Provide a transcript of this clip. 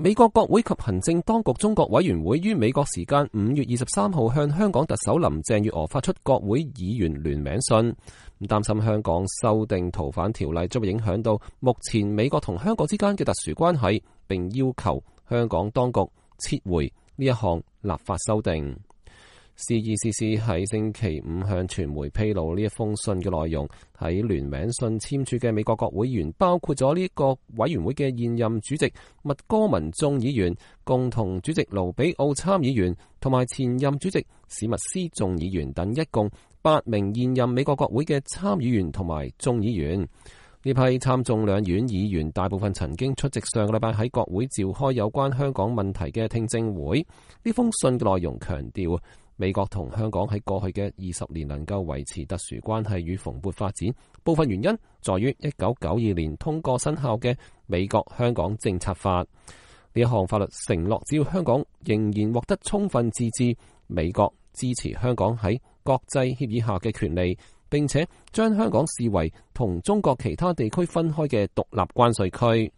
美國國會及行政當局中國委員會於美國時間5月23號向香港特首林鄭月娥發出國會議員聯名信，擔心香港修訂逃犯條例將會影響到目前美國同香港之間嘅特殊關係，並要求香港當局撤回呢一項立法修訂。CECC 喺星期五向傳媒披露呢一封信嘅內容，喺聯名信簽署嘅美國國會議員包括咗呢個委員會嘅現任主席麥哥文眾議員、共同主席盧比奧參議員同埋前任主席史密斯眾議員等，一共8名現任美國國會嘅參議員同埋眾議員。呢批參眾兩院議員大部分曾經出席上個禮拜喺國會召開有關香港問題嘅聽證會。呢封信嘅內容強調，美國同香港喺過去嘅20年能夠維持特殊關係與蓬勃發展，部分原因在於1992年通過生效嘅美國香港政策法。呢一項法律承諾，只要香港仍然獲得充分自治，美國支持香港喺國際協議下嘅權利，並且將香港視為同中國其他地區分開嘅獨立關稅區。